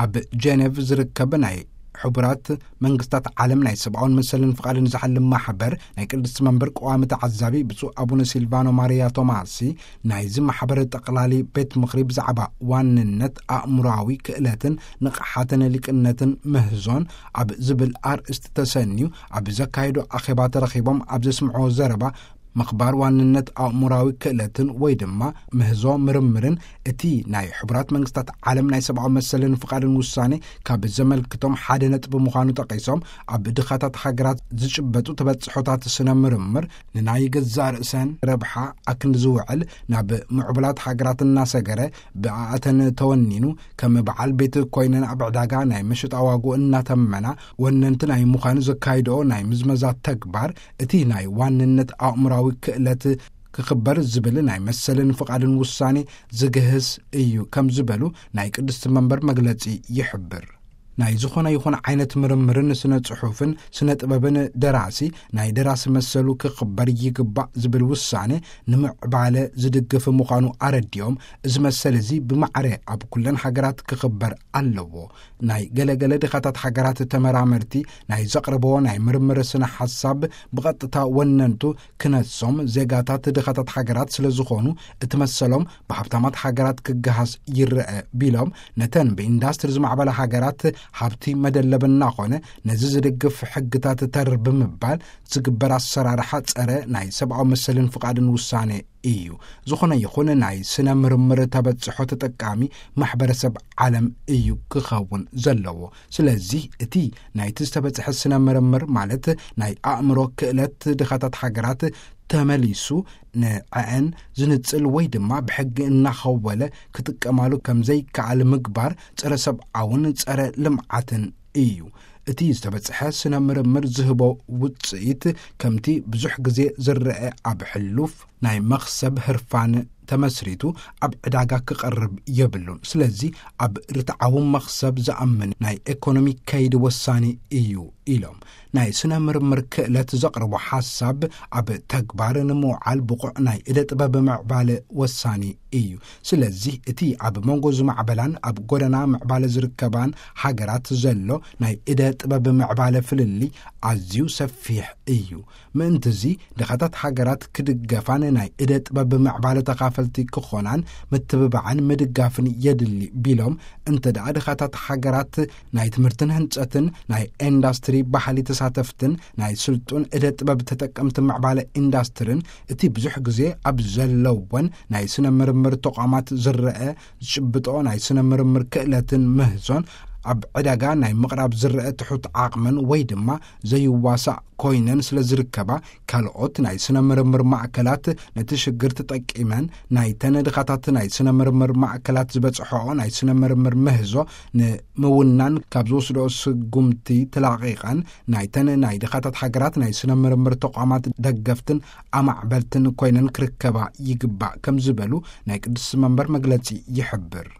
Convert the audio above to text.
ኣብ ጀኔቭ ዝርከብ ናይ ሕቡራት መንግስታት ዓለም ናይ ሰብኣውን መሰልን ፍቓድን ዝሓልም ማሕበር ናይ ቅድስቲ መንበር ቀዋሚ ተዓዛቢ ብፁዕ ኣቡነ ሲልቫኖ ማርያ ቶማሲ፣ ናይዚ ማሕበር ጠቕላሊ ቤት ምኽሪ ብዛዕባ ዋንነት ኣእምሮኣዊ ክእለትን ንቕሓትን ሊቅነትን ምህዞን ኣብ ዝብል ኣርእስቲ ተሰንዩ ኣብ ዘካየዶ ኣኼባ ተረኺቦም ኣብ ዘስምዕዎ ዘረባ፣ ምኽባር ዋንነት ኣእምሮኣዊ ክእለትን ወይ ድማ ምህዞ ምርምርን እቲ ናይ ሕቡራት መንግስታት ዓለም ናይ ሰብኣዊ መሰልን ፍቓድን ውሳኔ ካብ ዘመልክቶም ሓደ ነጥቢ ምዃኑ ጠቒሶም፣ ኣብ ድኻታት ሃገራት ዝጭበጡ ተበጽሖታት ስነ ምርምር ንናይ ገዛእ ርእሰን ረብሓ ኣክንዲ ዝውዕል ናብ ምዕቡላት ሃገራት እናሰገረ፣ ብኣኣተን ተወኒኑ፣ ከም በዓል ቤት ኮይነን ኣብ ዕዳጋ ናይ መሸጣ ዋግኡ እናተመና፣ ወነንቲ ናይ ምዃኑ ዘካይድኦ ናይ ምዝመዛ ተግባር፣ እቲ ናይ ዋንነት ኣእምሮኣዊ ክእለት ክኽበር ዝብል ናይ መሰልን ፍቓድን ውሳኔ ዝግህስ እዩ ከም ዝበሉ ናይ ቅድስቲ መንበር መግለጺ ይሕብር። ናይ ዝኾነ ይኹን ዓይነት ምርምርን ስነ ጽሑፍን ስነ ጥበብን ደራሲ ናይ ደራሲ መሰሉ ክኽበር ይግባእ ዝብል ውሳኔ ንምዕባለ ዝድግፍ ምዃኑ ኣረዲኦም፣ እዚ መሰል እዚ ብማዕረ ኣብ ኩለን ሃገራት ክኽበር ኣለዎ። ናይ ገለገለ ድኻታት ሃገራት ተመራመርቲ ናይ ዘቕርብዎ ናይ ምርምር ስነ ሓሳብ ብቐጥታ ወነንቱ ክነሶም ዜጋታት ድኻታት ሃገራት ስለ ዝኾኑ፣ እቲ መሰሎም ብሃብታማት ሃገራት ክገሃስ ይረአ ቢሎም፣ ነተን ብኢንዳስትሪ ዝማዕበላ ሃገራት ሃብቲ መደለብ እናኾነ፣ ነዚ ዝድግፍ ሕግታት ተር ብምባል ዝግበር ኣሰራርሓ ጸረ ናይ ሰብኣዊ መሰልን ፍቓድን ውሳኔ እዩ። ዝኾነ ይኹን ናይ ስነ ምርምር ተበጽሖ ተጠቃሚ ማሕበረሰብ ዓለም እዩ ክኸውን ዘለዎ። ስለዚ እቲ ናይቲ ዝተበጽሐ ስነ ምርምር፣ ማለት ናይ ኣእምሮ ክእለት ድኻታት ሃገራት፣ ተመሊሱ ንዐአን ዝንጽል ወይ ድማ ብሕጊ እናኸወለ ክጥቀማሉ ከም ዘይከኣል ምግባር ጸረ ሰብኣውን ጸረ ልምዓትን እዩ። እቲ ዝተበጽሐ ስነ ምርምር ዝህቦ ውጽኢት፣ ከምቲ ብዙሕ ግዜ ዝረአ ኣብ ሕሉፍ ናይ መኽሰብ ህርፋን ተመስሪቱ ኣብ ዕዳጋ ክቐርብ የብሉን። ስለዚ ኣብ ርትዓዊ መኽሰብ ዝኣምን ናይ ኤኮኖሚ ከይዲ ወሳኒ እዩ ኢሎም። ናይ ስነ ምርምር ክእለት ዘቕርቦ ሓሳብ ኣብ ተግባር ንምውዓል ብቑዕ ናይ እደ ጥበብ ምዕባለ ወሳኒ እዩ። ስለዚ እቲ ኣብ መንጎ ዝማዕበላን ኣብ ጎደና ምዕባለ ዝርከባን ሃገራት ዘሎ ናይ እደ ጥበብ ምዕባለ ፍልልይ ኣዝዩ ሰፊሕ እዩ። ምእንትዚ ድኻታት ሃገራት ክድገፋን ናይ እደ ጥበብ ምዕባለ ተኻፈልቲ ክኾናን ምትብባዕን ምድጋፍን የድሊ ቢሎም፣ እንተ ደኣ ድኻታት ሃገራት ናይ ትምህርትን ህንጸትን፣ ናይ ኢንዳስትሪ ባህሊ ተሳተፍትን፣ ናይ ስልጡን እደ ጥበብ ተጠቀምቲ ምዕባለ ኢንዳስትርን፣ እቲ ብዙሕ ግዜ ኣብ ዘለወን ናይ ስነ ምርምር ተቋማት ዝረአ ዝጭብጦ ናይ ስነ ምርምር ክእለትን ምህዞን ኣብ ዕዳጋ ናይ ምቕራብ ዝረአ ትሑት ዓቕመን ወይ ድማ ዘይዋሳእ ኮይነን ስለ ዝርከባ፣ ካልኦት ናይ ስነ ምርምር ማእከላት ነቲ ሽግር ተጠቂመን ናይተን ድኻታት ናይ ስነ ምርምር ማእከላት ዝበጽሖኦ ናይ ስነ ምርምር ምህዞ ንምውናን ካብ ዝወስድኦ ስጉምቲ ተላቒቐን ናይተን ናይ ድኻታት ሃገራት ናይ ስነ ምርምር ተቋማት ደገፍትን ኣማዕበልትን ኮይነን ክርከባ ይግባእ ከም ዝበሉ ናይ ቅድስቲ መንበር መግለጺ ይሕብር።